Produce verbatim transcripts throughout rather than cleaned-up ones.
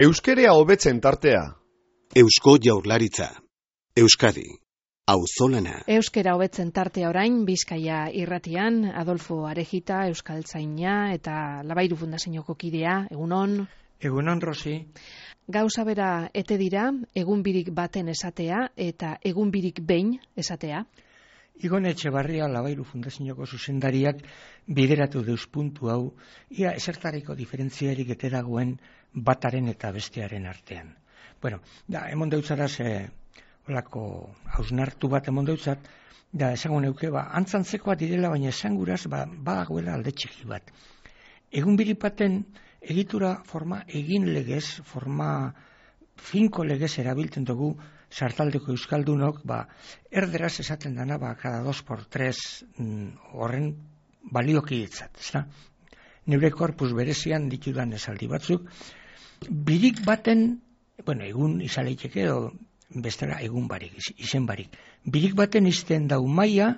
Euskerea hobetzen tartea. Eusko Jaurlaritza. Euskadi. Auzolana. Euskera hobetzen tartea orain, Bizkaia irratian, Adolfo Arejita, Euskaltzaina eta Labairu Fundazioko kidea, egunon. Egunon, Rosi. Gauza bera ete dira, egun birik baten esatea eta egun birik behin esatea. Igon Etxebarria Labairu Fundazioko zuzendariak bideratu deus puntu hau, ia esertariko diferentziarik ete dagoen bataren eta bestearen artean. Bueno, da, emon deutzaraz, e, olako hausnartu bat emon deutzat, da, esango neuke, ba, antzantzekoa direla, baina esanguraz, ba, badagoela alde txiki bat. Egun birik baten egitura forma egin legez, forma finko legez erabiltzen dugu sartaldeko euskaldunok, ba, erderaz esaten dana, ba, cada dos por tres mm, horren baliokidetzat, ezta? Neure korpus berezian ditudan esaldi batzuk, birik baten, bueno, egun izaleiteke edo bestela egun barik, izen barik. Birik baten izten dau maia,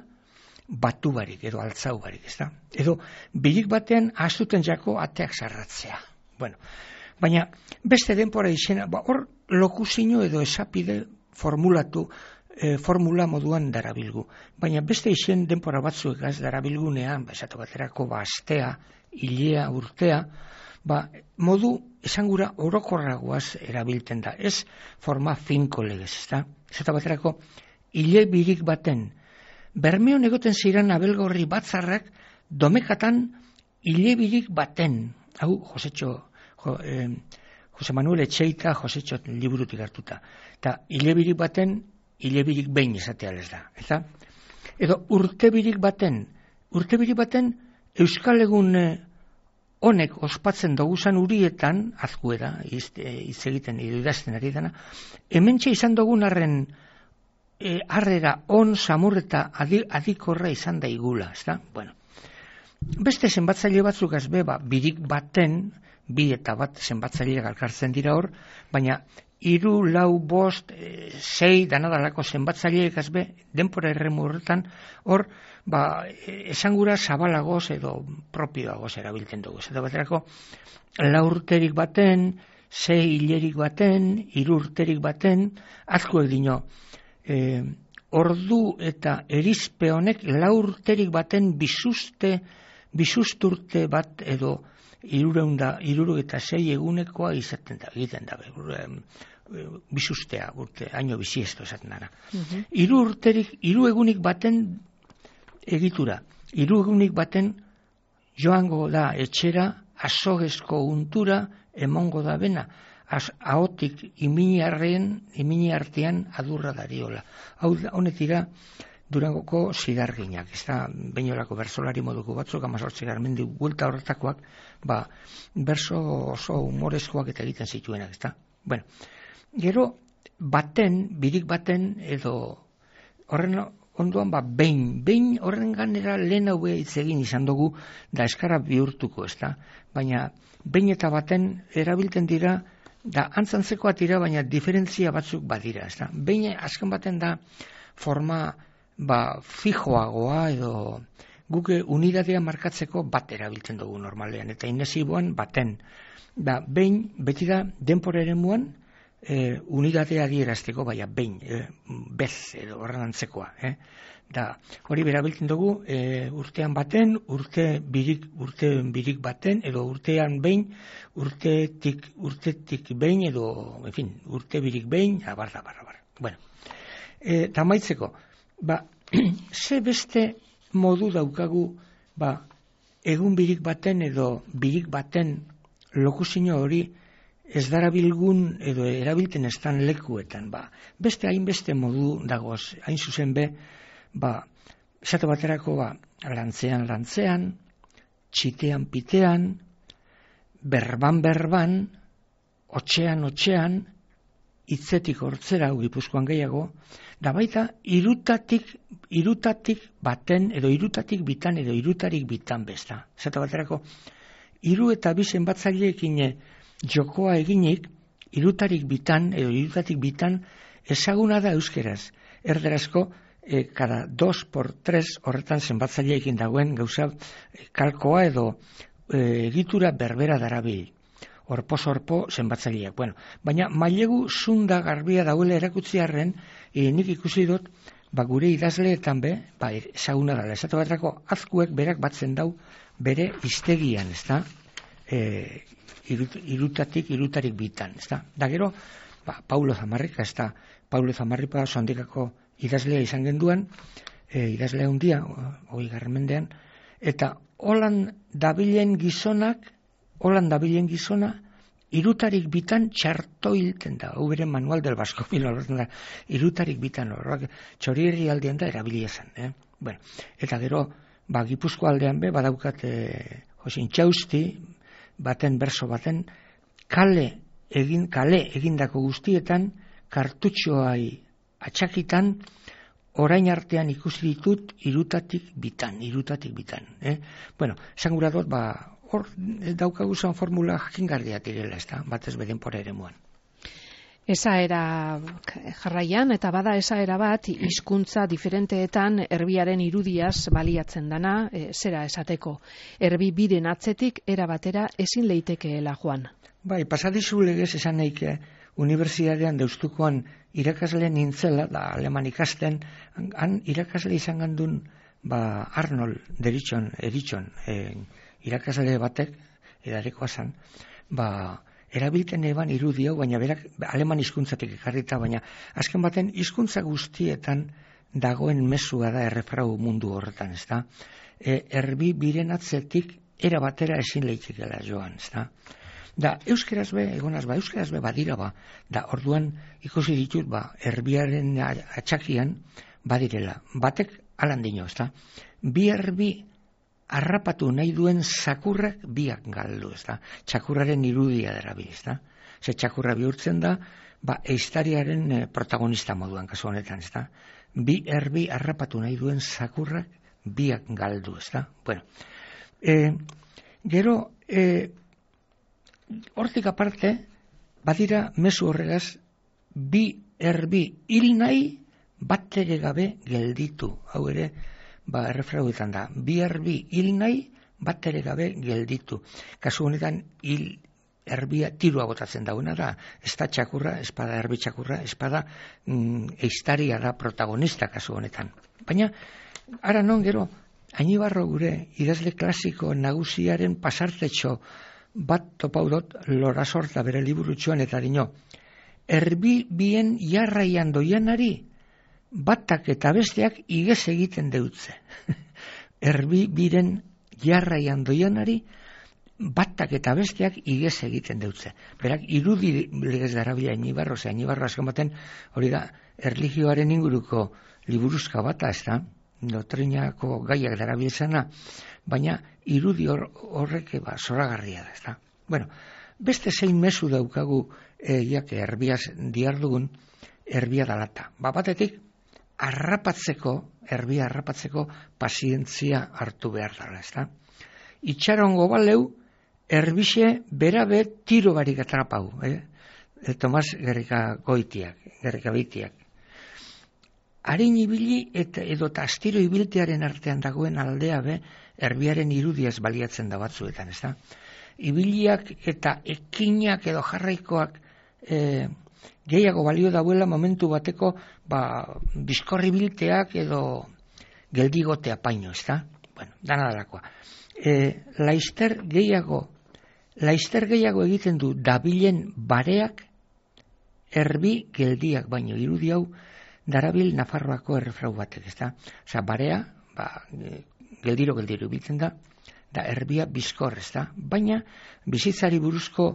batu barik edo altzau barik, ezta? Edo birik baten ahaztuten jako ateak sarratzea. Bueno, baina beste denpora izena, ba, hor lokuzino edo esapide formulatu, e, formula moduan darabilgu. Baina beste izen denpora batzuek az darabilgunean, ba, esatu baterako, ba, astea, hilea, urtea, ba, modu esangura orokorragoaz erabiltzen da. Ez forma finko legez, ezta? Esatu baterako, hile birik baten, Bermeon egoten ziren abelgorri batzarrak domekatan hile birik baten, hau, Josetxo, jo, eh, Jose Manuel Etxeita, Josetxo liburutik hartuta. Eta hile birik baten, hile birik behin esatea lez da. Eta, edo urte birik baten, urte birik baten Euskal Egun eh, honek ospatzen doguzan urietan, azkueda, hitz egiten idazten ari dana, hementxe izan dugun arren E, harrera on, samurreta adikorra izan da igula, ezta? Bueno, beste zenbatzaile batzuk azbe, ba, birik baten, bi eta bat zenbatzaile galkartzen dira hor, baina hiru, lau, bost, e, sei, danadalako zenbatzaileek azbe, denpora erremu horretan, hor, ba, esangura zabalagoz edo propioagoz erabiltzen dugu. Eta baterako, lau urterik baten, sei hilerik baten, hiru urterik baten, azkuek dino, E, ordu eta erizpe honek laurterik baten bisuste, bisusturte bat edo irureunda, iruru eta sei egunekoa izaten da, egiten da, e, bisustea, urte, haino bisiesto esaten dara. Uh-huh. Iru urterik, iru egunik baten egitura, iru egunik baten joango da etxera, azogezko untura emongo da bena, ahotik iminiarren, imini artean adurra dariola. Hau honetira Durangoko zidarginak, ez da, bainolako bersolari moduko batzuk, amazortzi garmendi buelta horretakoak, ba, berso oso humorezkoak eta egiten zituenak, ez da. Bueno, gero baten, birik baten, edo horren ondoan, ba, behin, behin horren ganera lehen hau hitz egin izan dugu, da eskara bihurtuko, ez da. Baina, behin eta baten erabiltzen dira, da antzantzekoa dira, baina diferentzia batzuk badira, ez da. Behin azken baten da forma ba, fijoagoa edo guk unidadea markatzeko bat erabiltzen dugu normalean, eta inesiboan baten. Da, behin, beti da denpora eremuan e, unidadea adierazteko, baina behin, e, bez edo horren antzekoa. Eh? Da, hori berabiltzen dugu e, urtean baten, urte birik, urte birik baten, edo urtean behin, urtetik, urtetik behin, edo, en fin, urte birik behin, abar, abar, abar. Bueno, e, tamaitzeko, ba, ze beste modu daukagu, ba, egun birik baten edo birik baten lokuzino hori ez darabilgun edo erabilten estan lekuetan, ba, beste hainbeste modu dagoz, hain zuzen be, ba, esate baterako, ba, lantzean, lantzean, txitean, pitean, berban, berban, otxean, otxean, hitzetik hortzera, Gipuzkoan gehiago, da baita, irutatik, irutatik baten, edo irutatik bitan, edo irutarik bitan besta. Esate baterako, hiru eta bi zenbatzaileekin jokoa eginik, irutarik bitan, edo irutatik bitan, ezaguna da euskeraz, erderazko, E, cada dos por tres horretan zenbatzaileekin dagoen gauza e, kalkoa edo e, egitura berbera darabil. orpo-sorpo zenbatzaileak. Bueno, baina mailegu zunda garbia dauela erakutziarren, e, nik ikusi dut, ba, gure idazleetan be, ba, ezaguna dela, esatu batrako azkuek berak batzen dau bere iztegian, ez da? E, irut, irutatik, irutarik bitan, ez da? Da gero, ba, Paulo Zamarrika, ez da? Paulo Zamarrika sondikako idazlea izan genduan, e, idazlea hundia, hoi garmendean, eta holan dabilen gizonak, holan dabilen gizona, irutarik bitan txarto hilten da. Hau beren manual del Basko Milo, irutarik bitan horrak txorierri aldean da erabilia zen. Eh? Bueno, eta gero, ba, Gipuzko aldean be, badaukat eh, Josin Txausti, baten berso baten, kale egin kale egindako guztietan, kartutxoai atxakitan, orain artean ikusi ditut irutatik bitan, irutatik bitan. Eh? Bueno, esan gura dut, ba, hor daukagu zan formula jakingarria direla, ez da, batez bedenpora ere muan. Esaera jarraian, eta bada esaera bat, hizkuntza diferenteetan erbiaren irudiaz baliatzen dana, e, zera esateko, erbi biren atzetik era batera ezin leitekeela joan. Bai, pasadizu legez esan naik, unibertsitatean deustukoan irakasle nintzela, da aleman ikasten, han irakasle izan gandun, ba, Arnold deritxon, eritxon, eh, irakasle batek, edarekoa zan, ba, erabilten eban irudi hau, baina berak aleman hizkuntzatik ekarrita, baina azken baten hizkuntza guztietan dagoen mezua da errefrau mundu horretan, ez da? E, erbi biren atzetik era batera ezin leitzikela joan, ez da? Da, euskeraz be, egonaz ba, euskeraz be badira ba, da, orduan ikusi ditut, ba, erbiaren atxakian badirela. Batek alan dino, ez da? Bi erbi harrapatu nahi duen zakurrak biak galdu, ez da? Txakurraren irudia derabil, ez da? Ze txakurra bihurtzen da, ba, eistariaren eh, protagonista moduan, kasu honetan, ez da? Bi erbi harrapatu nahi duen zakurrak biak galdu, ez da? Bueno, e, gero, e, hortik aparte, badira mezu horregaz, bi erbi hil nahi bat ere gabe gelditu, hau ere, ba, errefrauetan da, bi erbi hil nahi, bat ere gabe gelditu. Kasu honetan, hil erbia tirua botatzen dauna da, ez da txakurra, espada erbi txakurra, espada mm, eistaria da protagonista kasu honetan. Baina, ara non gero, Añibarro gure idazle klasiko nagusiaren pasartetxo bat topaudot Lorasorta bere liburutxoan eta dino, erbi bien jarraian doianari, batak eta besteak igez egiten deutze. Erbi biren jarraian doianari, batak eta besteak igez egiten deutze. Berak, irudi legez darabila Añibarro, ze Añibarro azken baten, hori da, erlijioaren inguruko liburuzka bata, ez da, doktrinako gaiak darabiltzena, baina irudi hor, horrek ba, zoragarria da, ez da. Bueno, beste zein mezu daukagu, e, jak, erbiaz diardugun, erbia dalata. Ba, batetik, arrapatzeko, erbia arrapatzeko pazientzia hartu behar dara, ez da? Itxarongo baleu, erbixe berabe tiro barik atrapau, eh? E, Tomas Gerrika goitiak, Gerrika beitiak. Harin ibili eta edota astiro ibiltearen artean dagoen aldea be, erbiaren irudiaz baliatzen da batzuetan, ez da? Ibiliak eta ekinak edo jarraikoak e, gehiago balio dauela momentu bateko ba, bizkorri bilteak edo geldigotea paino, ez da? Bueno, dana dalakoa. E, laister gehiago, laister gehiago egiten du dabilen bareak erbi geldiak baino, irudi hau darabil Nafarroako errefrau batek, ez da? Osa, barea, ba, geldiro geldiro biltzen da, da erbia bizkor, ez da? Baina, bizitzari buruzko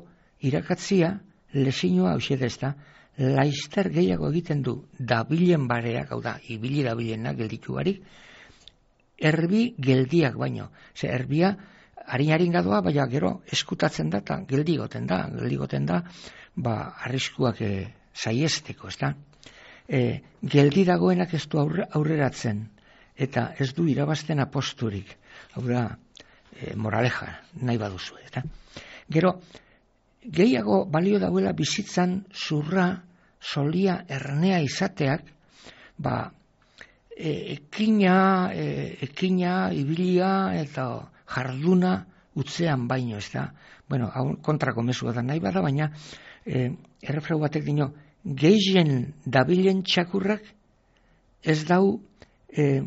irakatzia, lesinua hauxe da, ez da? Laister gehiago egiten du dabilen bareak, hau da, ibili dabilena gelditu barik, erbi geldiak baino. Ze erbia, harin-harin gadoa, baina gero eskutatzen da, eta geldigoten da, geldigoten da, ba, arriskuak e, saiesteko, ez da? E, geldi dagoenak ez du aurre, aurreratzen, eta ez du irabazten aposturik. Hau da, e, moraleja, nahi baduzu, eta? Gero, gehiago balio dauela bizitzan zurra, solia, ernea izateak, ba, e, ekina, e, ekina, ibilia eta jarduna utzean baino, ez da, bueno, hau kontrako mesua da nahi bada, baina eh, errefrau batek dino, gehien dabilen txakurrak ez dau eh,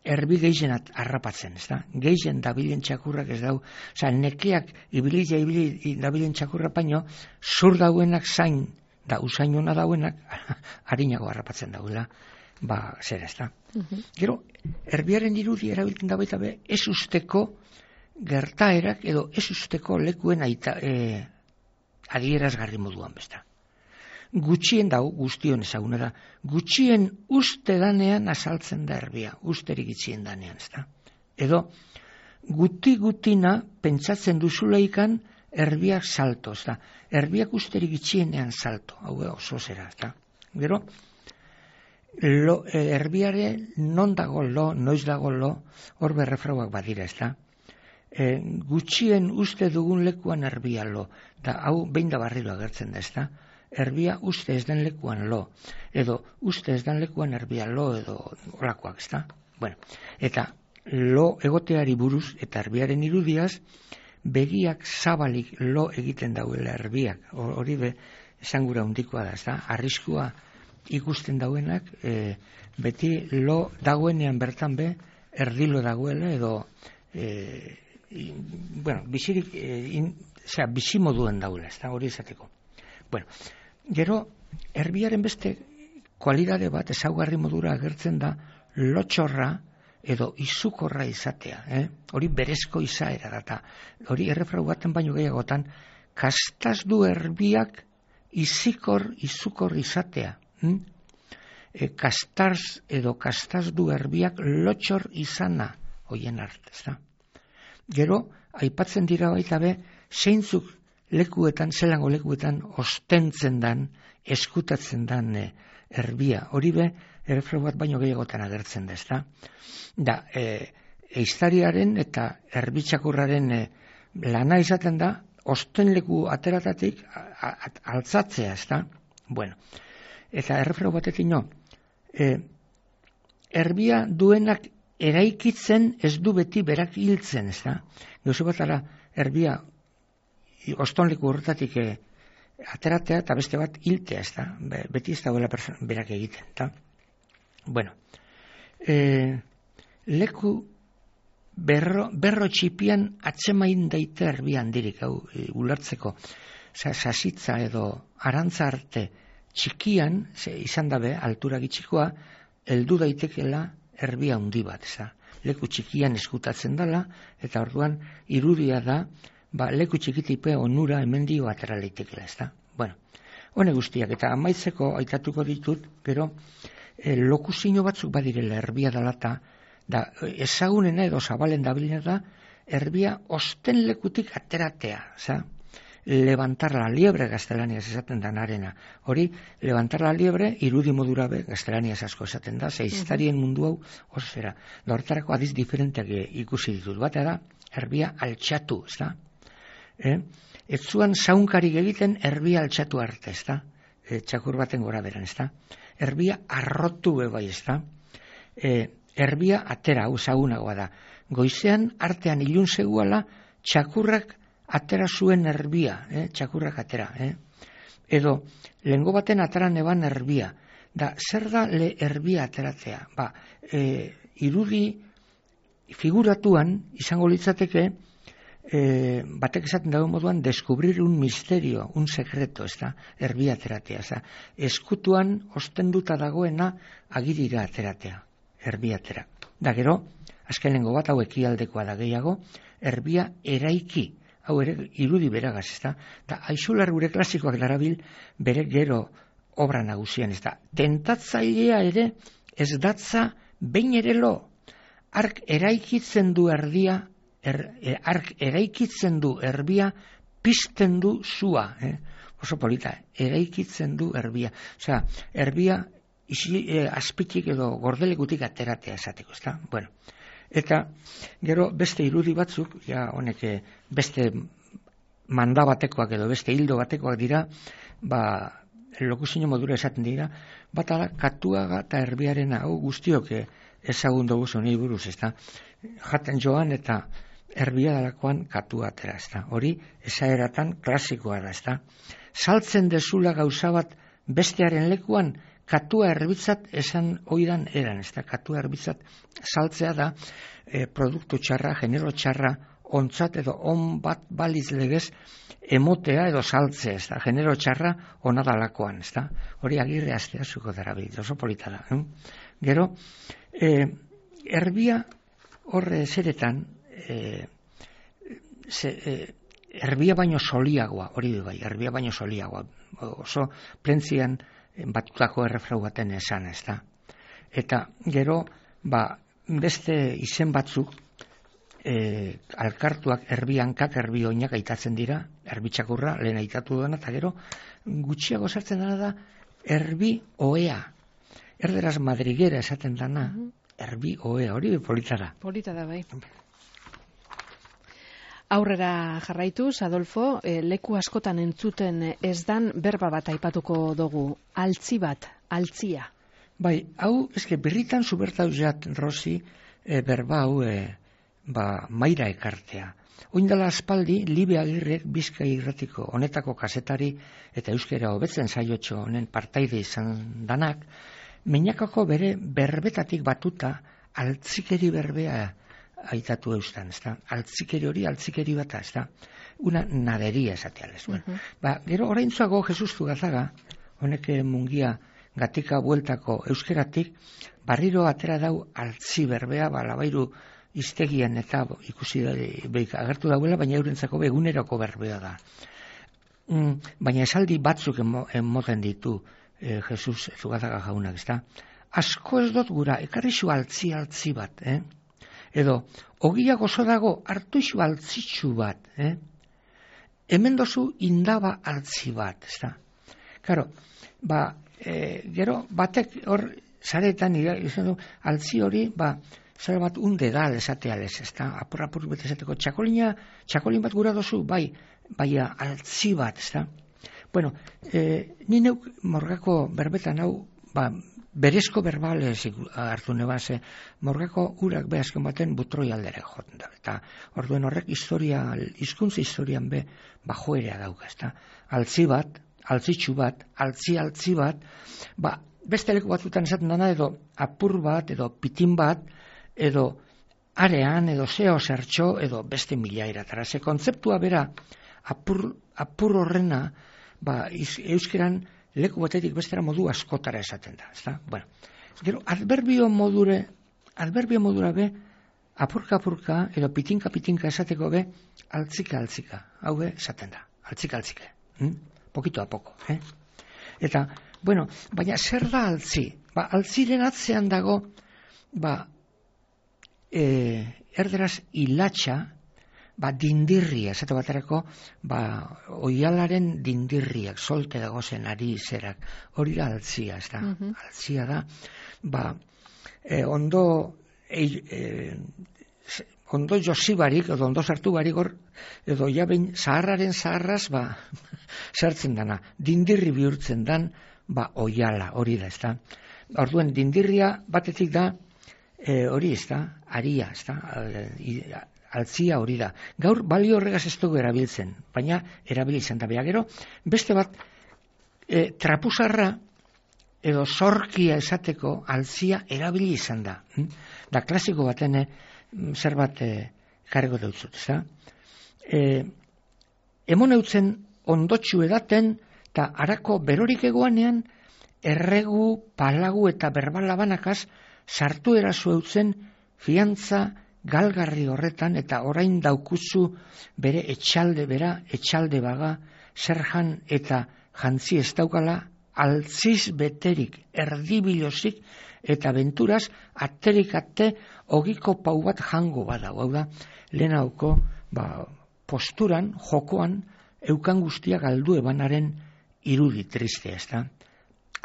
erbi gehienat harrapatzen, ez da? Gehien dabilen txakurrak ez dau, oza, nekeak ibilila ibili dabilen txakurra baino, zur dauenak zain, da usainona dauenak, harinago harrapatzen dauela, ba, zer ez da. Uh-huh. Gero, erbiaren irudi erabiltzen da baita be, ez usteko gertaerak edo ez usteko lekuen aita, e, adierazgarri moduan besta. Gutxien dau, guztion ezaguna da, gutxien uste danean azaltzen da erbia, usterik itxien danean, ez da. Edo, guti-gutina pentsatzen duzuleikan erbiak salto, ez da. Erbiak usterik itxienean salto, hau oso zera, ez da. Gero, lo, erbiare non dago lo, noiz dago lo, hor berrefrauak badira, ez da. E, gutxien uste dugun lekuan erbia lo, da hau behin da barriro agertzen da, ez da. Erbia uste ez den lekuan lo, edo uste ez den lekuan erbia lo, edo olakoak, ez da? Bueno, eta lo egoteari buruz, eta erbiaren irudiaz, begiak zabalik lo egiten dauela erbiak, hori be, esangura hundikoa da, ez da? Arriskua ikusten dauenak, e, beti lo dagoenean bertan be, erdilo dagoela, edo, e, in, bueno, bizirik, e, in, zera, bizimoduen dauela, ez da? Hori izateko. Bueno, gero, erbiaren beste kualidade bat ezaugarri modura agertzen da lotxorra edo izukorra izatea. Eh? Hori berezko izaera data. Hori errefrau baten baino gehiagotan, kastaz du erbiak izikor, izukor izatea. Hm? E, kastaz edo kastaz du erbiak lotxor izana hoien artez da. Gero, aipatzen dira baita be, zeintzuk lekuetan, zelango lekuetan, ostentzen dan, eskutatzen dan e, erbia. Hori be, errefrau bat baino gehiagotan agertzen da, ez da? Da, e, eiztariaren eta erbitxakurraren e, lana izaten da, osten leku ateratatik a, a, altzatzea, ez da? Bueno, eta errefrau batetik no, e, erbia duenak eraikitzen ez du beti berak hiltzen, ez da? Gauzu batara, erbia ostonleku horretatik e, ateratea eta beste bat hiltea, ez da? Be, beti ez dagoela berak egiten, eta? Bueno, e, leku berro, berro txipian atzemain daite erbia handirik, hau, e, ulertzeko. Sasitza edo arantza arte txikian, ze, izan dabe, altura gitxikoa, heldu daitekela erbia handi bat, ez da? Leku txikian eskutatzen dela, eta orduan irudia da, ba, leku txikitipe onura hemendio atera leitekela, ez da? Bueno, hone guztiak, eta amaitzeko aitatuko ditut, gero, e, lokuzino batzuk badirela erbia dalata, da ezagunena edo zabalen dabilena da, erbia osten lekutik ateratea, za? Levantar la liebre gaztelaniaz esaten da narena. Hori, levantar la liebre irudi modura be gaztelaniaz asko esaten da, zeiztarien mundu hau oso zera. Da hortarako adiz diferenteak ikusi ditut. Batea da, erbia altxatu, ez da? Eh? Ez zuan zaunkarik egiten erbia altxatu arte, ez da? E, txakur baten gora beran, ez da? Erbia arrotu bebai, ez da? E, erbia atera, hau zaunagoa da. Goizean artean ilun zegoala txakurrak atera zuen erbia, eh? Txakurrak atera. Eh? Edo, lehengo baten ataran eban erbia. Da, zer da le erbia ateratzea? Ba, e, irudi figuratuan izango litzateke, e, batek esaten dago moduan, descubrir un misterio, un secreto, ez da, erbia ateratzea. Ez da, eskutuan ostenduta dagoena agirira ateratzea, erbia atera. Da, gero, azken lehengo bat, hau ekialdekoa da gehiago, erbia eraiki, hau ere irudi beragaz, ez da? Da, Aixular gure klasikoak darabil bere gero obra nagusian, ez da? Tentatzailea ere ez datza behin ere lo. Ark eraikitzen du erdia, er, er, ark eraikitzen du erbia, pizten du zua, eh? Oso polita, eraikitzen du erbia. Osea, erbia isi, eh, azpitik edo gordelekutik ateratea esateko, ez da? Bueno, eta gero beste irudi batzuk, ja honek beste manda batekoak edo beste hildo batekoak dira, ba, lokuzino modura esaten dira, bata da Katuaga eta erbiaren hau guztiok ezagun dugu zonei buruz, ez da? Jaten joan eta erbia dalakoan katua atera, ez da. Hori, esaeratan klasikoa da, ez da. Saltzen dezula gauza bat bestearen lekuan, katua erbitzat esan oidan eran, ez da. Katua erbitzat saltzea da e, produktu txarra, genero txarra, ontzat edo on bat baliz legez emotea edo saltzea, ez da. Genero txarra ona dalakoan, ez da. Hori Agirre Astea zuko darabil, oso polita da. Eh? Gero, e, erbia horre zeretan, e, ze, e, erbia baino soliagoa, hori du bai, erbia baino soliagoa, oso plentzian batutako errefrau baten esan, ez da. Eta gero, ba, beste izen batzuk, e, alkartuak erbiankak, erbi oinak aitatzen dira, erbitxakurra, lehen aitatu duena, eta gero, gutxiago sartzen dena da, erbi oea. Erderaz madriguera esaten dana, erbi oea, hori polita da. Polita da, bai. Aurrera jarraituz, Adolfo, e, leku askotan entzuten ez dan berba bat aipatuko dugu, altzi bat, altzia. Bai, hau, eske birritan zubertauzat, Rosi, e, berba hau, e, ba, maira ekartea. Oindala aspaldi, Libe Agirrek Bizkai irratiko honetako kazetari eta euskera hobetzen saiotxo honen partaide izan danak, Meñakako bere berbetatik batuta altzikeri berbea aitatu eustan, ez da? Altzikeri hori, altzikeri bata, ez da? Una naderia esateales. Uh -huh. Ba, gero oraintzuago Jesustu Gazaga, honek mungia gatika bueltako euskeratik, barriro atera dau altzi berbea, ba, labairu iztegian eta ikusi da, beik, agertu dauela, baina eurentzako begunerako berbea da. Mm, baina esaldi batzuk emoten ditu, Eh, Jesus Zugazaga jaunak, ez da? Asko ez dut gura, ekarrixu altzi altzi bat, eh? Edo, ogia gozo dago, hartu isu altzitsu bat, eh? Hemen dozu indaba altzi bat, ez da? Karo, ba, e, gero, batek hor, zaretan, izan du, altzi hori, ba, zare bat unde da, esateales, ez da? Apur, apur, bet esateko, txakolina, txakolin bat gura dozu, bai, bai, altzi bat, ez da? Bueno, eh, ni neuk morgako berbetan hau, ba, berezko berbales hartu nebase, morgako urak be azken baten butroi aldera joten da. Eta orduen horrek historia, hizkuntza historian be bajoerea dauka, ezta. Altzi bat, altzitsu bat, altzi altzi bat, ba, beste leku batzutan esaten dana edo apur bat, edo pitin bat, edo arean, edo zeo zertxo, edo beste mila eratara. Ze kontzeptua bera, apur, apur horrena, ba, euskeran leku batetik bestera modu askotara esaten da, ezta? Bueno, gero, adverbio modure, adverbio modura be, apurka apurka, edo pitinka pitinka esateko be, altzika altzika, hau be, esaten da, altzika altzika, hm? Pokito a poko, eh? Eta, bueno, baina zer da altzi? Ba, altziren atzean dago, ba, e, erderaz hilatxa, ba, dindirria, esate baterako, ba, oialaren dindirriak, solte dagozen ari zerak, hori da altzia, ez da, uh-huh. Altzia da, ba, e, ondo, e, e, ondo josibarik, edo ondo sartu barik hor, edo jabein zaharraren zaharraz, ba, sartzen dana, dindirri bihurtzen dan, ba, oiala, hori da, ez da. Orduen, dindirria batetik da, e, hori, ez da, aria, ez da, e, altzia hori da. Gaur balio horregaz ez dugu erabiltzen, baina erabili izan da. Gero, beste bat, e, trapuzarra edo zorkia esateko altzia erabili izan da. Hm? Da klasiko baten e, zer bat e, karego deutzut, ez da? E, emon eutzen ondotxu edaten eta harako berorik egoanean erregu, palagu eta berbalabanakaz sartu erazu eutzen fiantza galgarri horretan eta orain daukuzu bere etxalde bera, etxalde baga, zerjan eta jantzi ez daukala, altziz beterik, erdibilozik eta benturaz, aterik ate, ogiko pau bat jango bada, hau da, lehen hauko, ba, posturan, jokoan, eukan guztia galdu ebanaren irudi triste, ez da?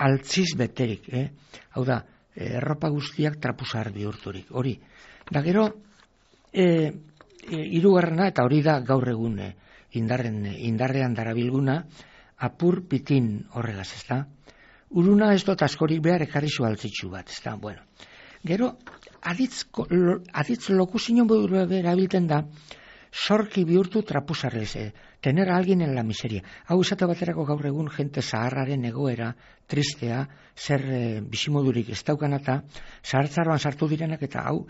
Altziz beterik, eh? Hau da, erropa guztiak trapuzar bihurturik, hori. Da gero, e, e, irugarrena, eta hori da gaur egun e, indarren, indarrean darabilguna, apur pitin horregaz, ez da? Uruna ez dut askorik behar ekarri zu altzitsu bat, ez da? Bueno, Gero, aditz, aditz lokuzio modu erabiltzen da, sorki bihurtu trapuzarrez, eh? Tener a alguien en la miseria. Hau esate baterako gaur egun jente zaharraren egoera, tristea, zer e, bizimodurik ez daukan eta zahartzaroan sartu direnak eta hau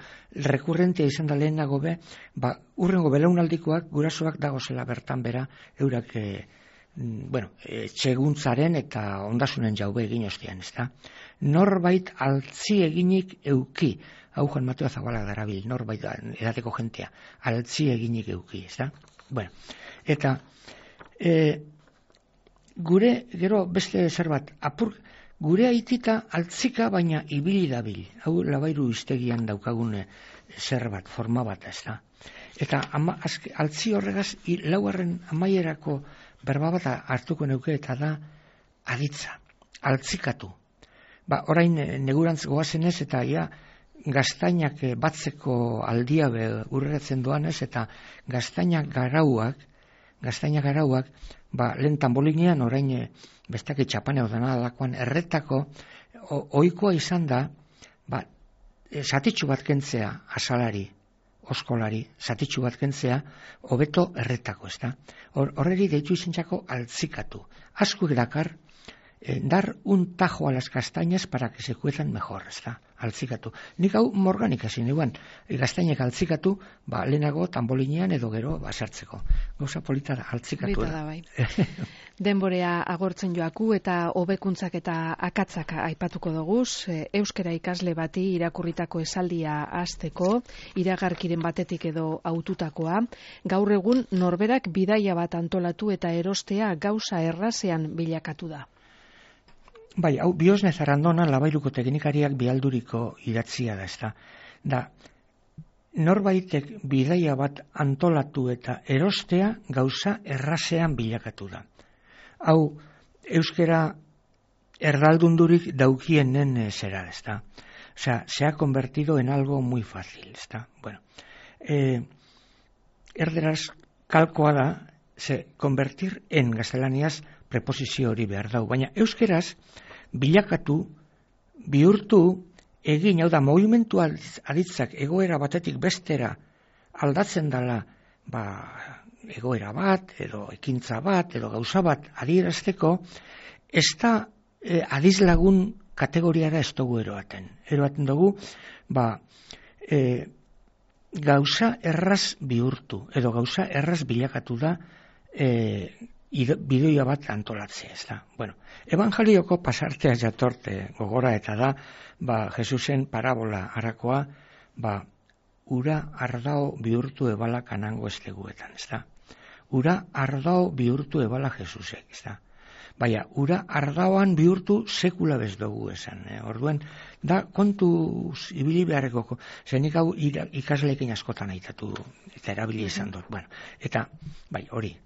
rekurrentea izan da lehenago be, ba, urrengo belaunaldikoak gurasoak dagozela bertan bera, eurak e, bueno, e, txeguntzaren eta ondasunen jaube egin ostean, ezta? Norbait altzi eginik euki, hau Juan Mateo Zabalak darabil, norbait edateko jentea, altzi eginik euki, ezta? Bueno, eta e, gure, gero beste zer bat, apur, gure aitita altzika baina ibili dabil, hau Labairu hiztegian daukagun zer bat, forma bat, ezta? Eta ama, azke, altzi horregaz, i, laugarren amaierako berba bat hartuko neuke eta da aditza, altzikatu. Ba, orain negurantz goazenez eta ja, gaztainak batzeko aldia urreratzen doanez eta gaztainak garauak, gaztainak garauak, ba, lehen tambolinean orain bestak etxapaneo dena alakoan erretako ohikoa izan da, ba, zatitxu bat kentzea asalari, oskolari, zatitxu bat kentzea, hobeto erretako, ezta? Horreri deitu izentzako altzikatu. Askuek dakar, dar un tajo a las castañas para que se cuezan mejor, ezta? Altzikatu. Nik hau morganik hasi neuan, gaztainek altzikatu, ba, lehenago tambolinean edo gero basartzeko. Gauza polita da, altzikatu. Polita da, bai. Denborea agortzen joaku eta hobekuntzak eta akatzak aipatuko doguz, euskara ikasle bati irakurritako esaldia hasteko, iragarkiren batetik edo haututakoa, gaur egun norberak bidaia bat antolatu eta erostea gauza errazean bilakatu da. Bai, hau Biosne Zarandona Labairuko teknikariak bihalduriko idatzia da, ezta. Da, norbaitek bidaia bat antolatu eta erostea gauza errazean bilakatu da. Hau, euskera erdaldundurik daukienen zera, ezta. Osea, se ha convertido en algo muy fácil, ezta. Bueno, eh, erderaz kalkoa da, se convertir en gaztelaniaz preposizio hori behar dau, baina euskeraz bilakatu, bihurtu, egin, hau da, movimentu aditzak egoera batetik bestera aldatzen dela, ba, egoera bat, edo ekintza bat, edo gauza bat adierazteko, ez da eh, adizlagun kategoriara ez dugu eroaten. Eroaten dugu, ba, eh, gauza erraz bihurtu, edo gauza erraz bilakatu da, eh, bideoia bat antolatzea, ez da. Bueno, evangelioko pasartea jatorte gogora eta da, ba, Jesusen parabola harakoa, ba, ura ardao bihurtu ebala kanango esteguetan, ez da. Ura ardao bihurtu ebala Jesusek, ez da. Baina, ura ardaoan bihurtu sekula bez dugu esan. Eh? Orduen, da kontuz ibili beharreko, zenik hau ikasleekin askotan aitatu eta erabili izan dut. Bueno, eta, bai, hori.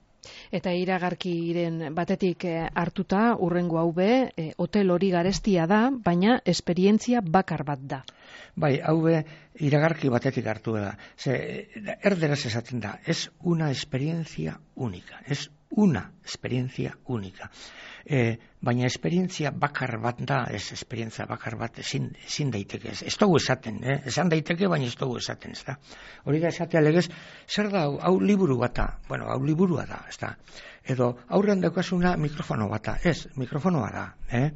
Eta iragarkiren batetik hartuta, urrengo hau be, e, hotel hori garestia da, baina esperientzia bakar bat da. Bai, hau be, iragarki batetik hartu da. Ze, erderaz esaten da, es una experiencia única, es una experiencia única. E, baina esperientzia bakar bat da, ez esperientzia bakar bat ezin, ezin daiteke, ez, ez dugu esaten, eh? Esan daiteke, baina ez dugu esaten, ez da. Hori da esatea legez, zer da, hau, hau liburu bata, bueno, hau liburua da, ez da. Edo, aurrean daukasuna mikrofono bata, ez, mikrofonoa da, eh?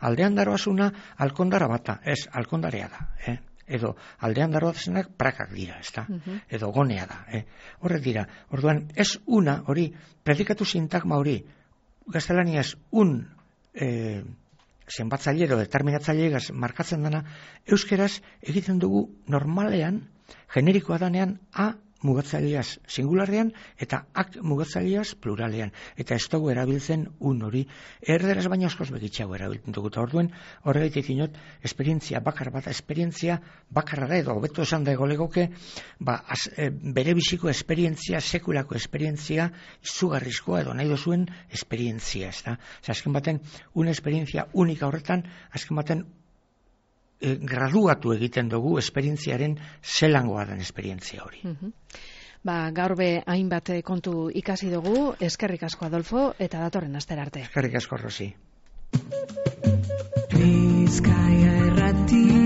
Aldean daroazuna alkondara bata, ez, alkondarea da, eh? Edo aldean daroazenak prakak dira, ez da, uh-huh. Edo gonea da, eh? Horrek dira, orduan, ez una, hori, predikatu sintagma hori, gaztelaniaz un eh, zenbatzaile edo determinatzaile markatzen dana, euskeraz egiten dugu normalean, generikoa danean, a mugatzaileaz singularrean eta ak mugatzaileaz pluralean. Eta ez dugu erabiltzen un hori, erderaz baina askoz begitxago erabiltzen dugu. Eta orduen, horregaitik inot, esperientzia bakar bat, esperientzia bakarra da edo, hobeto esan da egolegoke, ba, az, e, bere biziko esperientzia, sekulako esperientzia, izugarrizkoa edo nahi dozuen esperientzia, ez da. Azken baten, una esperientzia unika horretan, azken baten, E, graduatu egiten dugu esperientziaren zelangoa den esperientzia hori. Uh-huh. Ba, gaur be hainbat kontu ikasi dugu, eskerrik asko Adolfo, eta datorren astera arte. Eskerrik asko, Rosi. Bizkaia Irrati